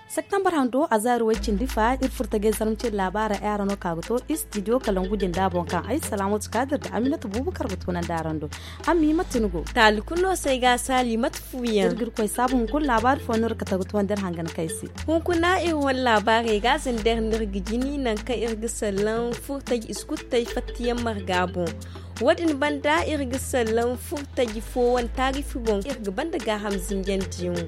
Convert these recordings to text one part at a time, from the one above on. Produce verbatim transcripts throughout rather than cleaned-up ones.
Septembar hando a zaari way cindi fa iri furtajey zarma cindi laabaara ay araŋo ka ga to istidiyo kalangu jinda boŋ kaŋ ay salaamatu kaadir nda aminata buubu kar ga tunandi araŋ do. Amma i mate ni go? Taali kulu no se ay ga a saali mate fu yaŋ iri ga iri koy saabu hunkuna laabaari fo no iri ga tagu tuwandi iri hangan kay se. Hunkuna iri wane laabaarey ga zandar no iri ga jini nangu kaŋ iri ga sallaŋ furtaji iskuttey fattayaŋ marga boŋ. Wo- din banda iri ga sallaŋ furtaji fo wane taarifi boŋ iri ga banda gaaham zinjandiyaŋo.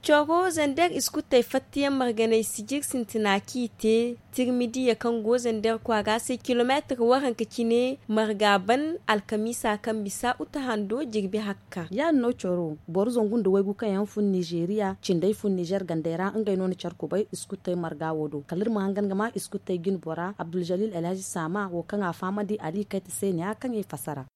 Coro zander iskuttey fattayaŋ marganey sijir sintina kaŋ i te tirmidiya kaŋ go zander kwaara se kilomeetir waranka cine marga ban alkamiisa kaŋ bisa uta hando jirbi hakka. Ya- din no coro boro zangu nda waygu kaŋ yaŋ fun nizeeriya cindey fun nizer gandey ra ngey no na care kubay iskuttey marga wo do kala iri ma hangan ga ma iskuttey jine bora abduljalil alhazi saama wo kaŋ a fahamandi ali kayta se ne ya kaŋ i fassara.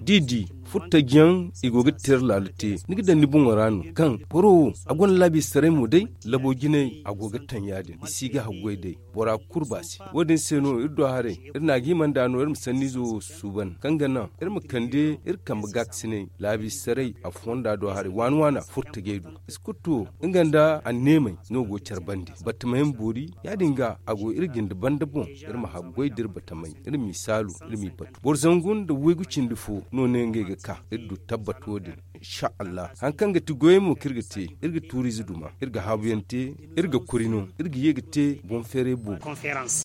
Da i di furtajiyaŋ i go ga tira laala te ni ga daŋ ni boŋo ra no kaŋ boro wo a gonda laabiisaray mo day labo jinay a go ga taŋ ya- din i si ga haggoy day bora kurba se. Wo- din se no iri do haray iri na a ga hima nd'a no iri ma sanniizo suuban kaŋ ga naŋ iri ma kande iri kambe gaakasinay laabiisaray a fonda do haray waana waana furtajey do. Iskutu wo nga nda anneemey no go care bande batamayaŋ boori ya- din ga a go iri jinde banda boŋ iri ma haggoy da iri batamay iri m'i saalu iri m'i batu boro zangu nda waygu cindi fo no ne ngey ga ka iri du tabbat wo- din. Insha allah hari kaŋ ga ti goyey mo kaŋ iri ga te iri ga tuuriize duma iri ga haabuyaŋ te iri ga kuri no iri ga ye ga te boŋ feeray boobo.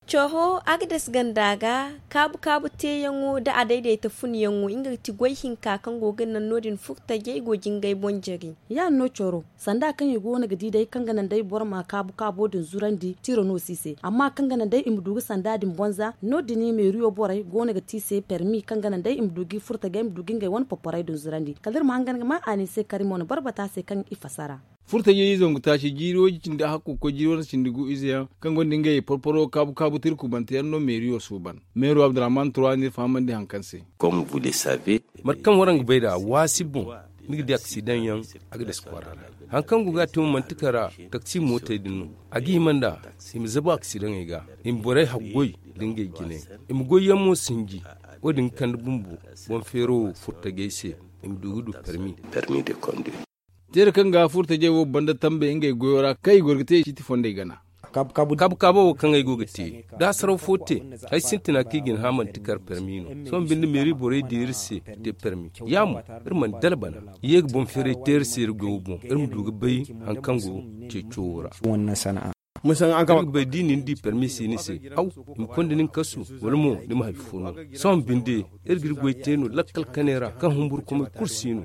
Coro agades ganda ga kaabu kaabu teeyaŋo nda a dayday ta funyaŋo nga ga ti goy hinka kaŋ go ga naŋ no- din furtajey go jingay boŋ jare. Ya- din no coro sanda kaŋ i go no ga di day kaŋ ga naŋ day boro ma kaabu kaabo din zurandi tiro no si se amma kaŋ ga naŋ day i ma du ga sanda din bonza no- din meeriyo borey go no ga te i se permi kaŋ ga naŋ day i ma du ga i furtajey i ma du ga ngey wane poporay din zurandi kala iri ma hangan ga ma a ne i se kari mo na boro bata se kaŋ i fassara. Furtajey i zangu taaci jiiri woy cindi hakku ga koy jiiri wane cindi gu ize yaŋ kaŋ gonda ngey porporo kaabu kaabu tira kubante yaŋ no meeriyo suuban. Meero abdurrahman trois no iri fahamandi hari kaŋ se. Mate kaŋ waraŋ ga bay nd'a waasi boŋ ni ga di aksidaŋ yaŋ agades kwaara ra. Hari kaŋ go ga a te mo manti kara taksi mootey din no a ga hima nd'a i ma zabu aksidaŋey ga i ma borey haggoy nda ngey jinay i ma goyyaŋ mo sinji. Wo- din ga kande bumbo boŋ feero wo furtajey se i ma du ga du permi. Teera kaŋ ga furtajey wo banda tambey ngey goyo ra kaŋ i goro ga te ciiti fondey gana. Kaabu kaabo wo kaŋ ay go ga te da hasaraw fo te ay sintina kaŋ i ga ni hã manti kar permi no. Sohõ binde meeri borey di iri se ga te permi ya mo iri mana dala bana. I ye ga boŋ feeray te iri se iri goyo boŋ iri ma du ga bay hari kaŋ go ceeco wo ra. Iri ga bay da i na ni di permi si ni se haw i ma konda ni ga kasu wala mo ni ma hari fo no. Sohõ binde iri ga iri goy te no lakkal kanay ra kaŋ humburkumay kulu si no.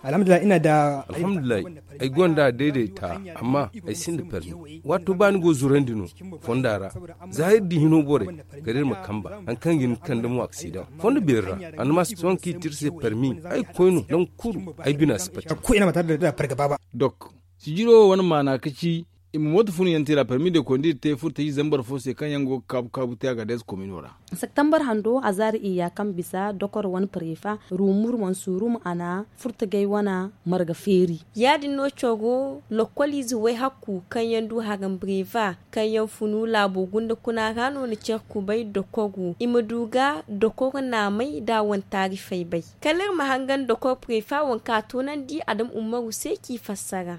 Alhamdulillahi ay gonda a dayday ta amma ay sinda permi. Waato ba ni go zurandi no fonda ra za iri di hino borey kala iri ma kamba hari kaŋ ga ni kande mo aksidaŋ fondo beeri ra. Annamas sohõ kaŋ i te iri se permi ay ga koy no nangu kulu ay bina si pati. Sijiro wo wane maana ka ci i ma mooto fun yaŋ te ra permi de koy nda iri te furtaji zambar fo se kaŋ yaŋ go ga kaabu kaabu te a ga dees komino ra. Septembar hando a zaari iyya kaŋ bisa dokor wane parefa rumur mansurum a na furtajey wane marga feeri. Ya- din no coro lokkoliize way hakku kaŋ yaŋ du haram breva kaŋ yaŋ funu laabo gunda kuna ra no na care kubay dokoru i ma du ga dokoru naamay da a wane taarifey bay. Kala iri ma hangan dokor prefa waŋ kaŋ a toonandi adam ummaru se k'i fassara.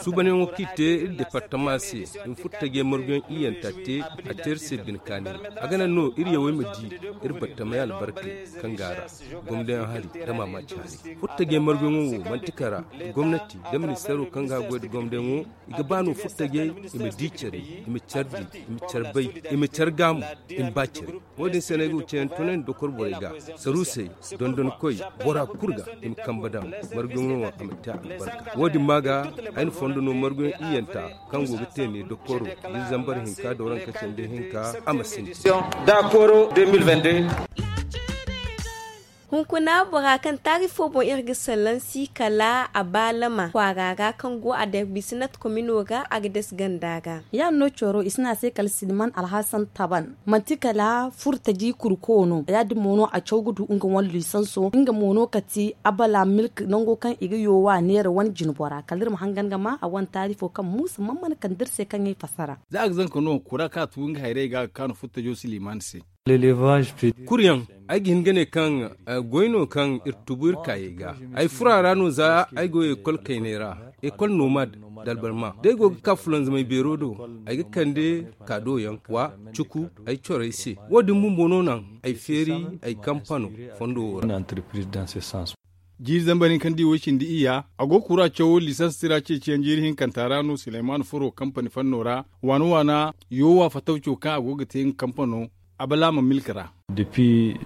Suubanyaŋo kaŋ i te iri departama se i ma furo tajey marguyaŋ iyyanta te a te iri se bine kaani. A ga naŋ no iri yawey ma di iri battamey albarkey kaŋ go a ra gomdayaŋ hari nda maamaaci hari. Furo tajey marguyaŋo wo manti kara nda gomnati nda ministeero kaŋ ga a goy nda gomdayaŋo i ga ba no furo tajey i ma di care i ma care di i ma care bay i ma care gaamu i ma ba care. Wo- din se no ay go ga ceeyaŋ tunandi dokor borey ga saruusey dondonkoy bora kulu ga i ma kambe daŋ marguyaŋo a ma te albarka. Wo- din ma ga ay na fondo no marguyaŋ iyyanta kaŋ go ga te ne dokoro da zambar hinka da waranka cindi hinka a ma sintin. Dakoro deux mille vingt-deux. Hunkuna bora kaŋ taari fo boŋ iri ga salaŋ si kala a baalama kwaara ra kaŋ go a darbisinat komino ra a ga dasi ganda ra. Ya- din no cooro i si ne a se kala silman alhasan taban, manti kala furtaji kurko no. Ya- din mo no a caw ga du nga wane lisanso nga mo no kati abala milk nango kaŋ i ga yoowa neera wane jinbora kala iri ma hangan ga ma a wane taari fo kaŋ muusa man mana kande iri se kaŋ ay fassara. Za a ga zanka no kura kaŋ a tu nga hayray ga a ga kaanu furtajo silman se. Kuryaŋ, ay ga hin ga ne kaŋ goy no kaŋ iri tubu iri kaayey ga. Ay furo a ra no za ay go ekol kayney ra, ekol nomad dalbarma da ay go ga ka fulanzamay beero do. Ay ga kande kaadoyaŋ wa cuku ay corey se. Wo- din bumbo no naŋ ay feeri ay kampano fondo wo ra. Jiiri zambar hinka nda i way cindi iyya a go ga kura cawo lisans tira ceeciyaŋ jiiri hinkanta ra no sileyman furo kampani fanno ra waana waana yoowa fatawco kaŋ a go ga te nga kampano abalaama milk ra.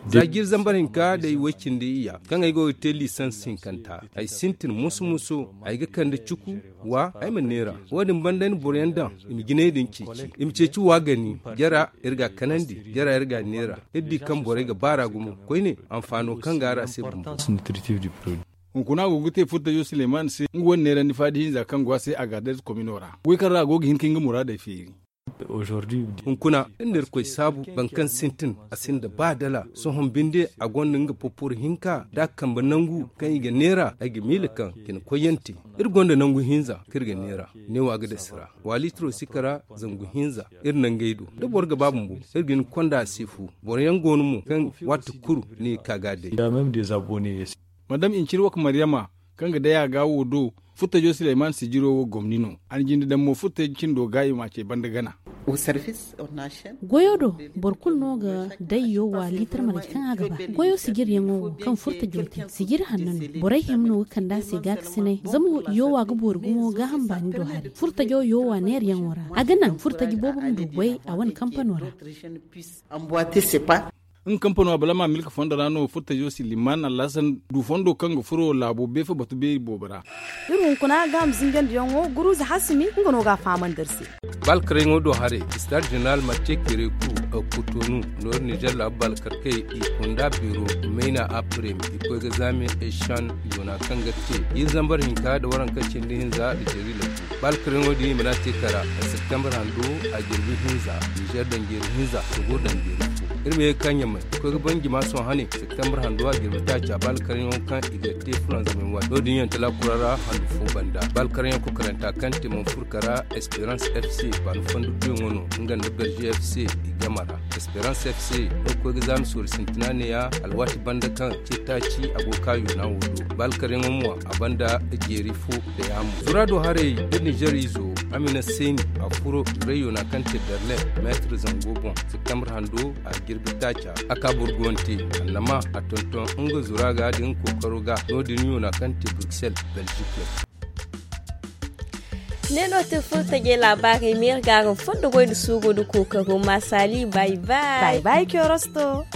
Za jiiri zambar hinka day way cindi iyya kaŋ ay go ga te lisans hinkanta ay sintin musu musu. Ay ga kande cuku wa ay ma neera. Wo- din banda ay na boroyaŋ daŋ i ma jinay din ceeci i ma ceeci wa gani jara iri ga a kanandi jara iri ga a neera. Iri di kaŋ borey ga baara gumo koyne anfaano kaŋ ga a ra se bumbo. Hunkuna go ga te furtajo sileyman se nga wane neerandi faadi hinza kaŋ go a se a ga a day komino ra goy kaŋ ra a go ga hin ka nga muraadey feeri. Hunkuna iri na irkoy saabu boro kaŋ sintin a sinda ba dala sohõ binde a gonda nga popor hinka da a kambe nangu kaŋ i ga neera ay ga miila kaŋ cine koyyaŋ te. Iri gonda nangu hinza kaŋ iri ga neera neewo a ga dasi ra. Waalitiro si kara zangu hinza iri nangey do da boro ga ba bumbo iri ga hin ga konda a se fu. Boroyaŋ go no mo kaŋ waati kulu ni ga ka ga a day. Madam incir waka maryama kaŋ ga day a ga wo do furtajo sileyman sijiro wo gomni no. A na jinde daŋ mo furtajo cindo ga i ma a ce banda gana. Goyo do boro kulu no ga day yoowa liitar marje kaŋ a ga ba. Goyo sijiryaŋo wo kaŋ furtajo te sijiri hanno no. Borey hima no ga kande a se gaakasinay zama yoowa ga boori gumo gaaham baani do hari furtajo yoowa neerayaŋo ra. A ga naŋ furtaji boobo ma du goy a wane kampano ra. Nga kampano abalama milka fondo ra no furtajo silliman alhasan du fondo kaŋ ga furo laabo beefa batu beeri boobo ra. Iri hunkuna ga ma zinjandiyaŋo guruza hasimi nga no ga a fahamandi iri se. Balkaryaŋo do haray, star jeneral marce kereku kutonu noori nizer laabu balkarkey i kunda biro mayna aprem i koy ga zaame eshan yoona kaŋ ga te iri zambar hinka da waranka cindi hinza da jeri labu. Balkaryaŋo din i mana te kara septembre hando a jirbi hinza. Nizer danjeeri hinza sogo danjeeri fo. Iri ma ye ga ka ɲamay koy ga ban jima sohõ hane septembre hando a jirbi taaca balkaryaŋo kaŋ i ga te fulanzamay waati no- din yaŋ talakura ra handu fo banda. Balkaryaŋ kokaranta kaŋ te manfurka ra esperance fc baani fondo tuyaŋo no nga nda berger fc i game ra. Esperance fc no ga koy ga zaami soori sintina neeya alwaati banda kaŋ ce taaci a go ga ka yoona wo do. Balkaryaŋo mo a banda jeeri fo da yaamo zura do haray da nizer izo amina seeni a furo reyo na kaŋ te berlin meetir zango boŋ. Septembre hando a jirbi taaca a ka burguwante annama a tonton nga zura ga da nga kookaro ga no- din yoona kaŋ te bruxelles belgique. Ne no te furtajey laabaarey meeri gaaram fondo goy nda suuro nda kookaro ma saali bay bay. Bay bay kiyorosto.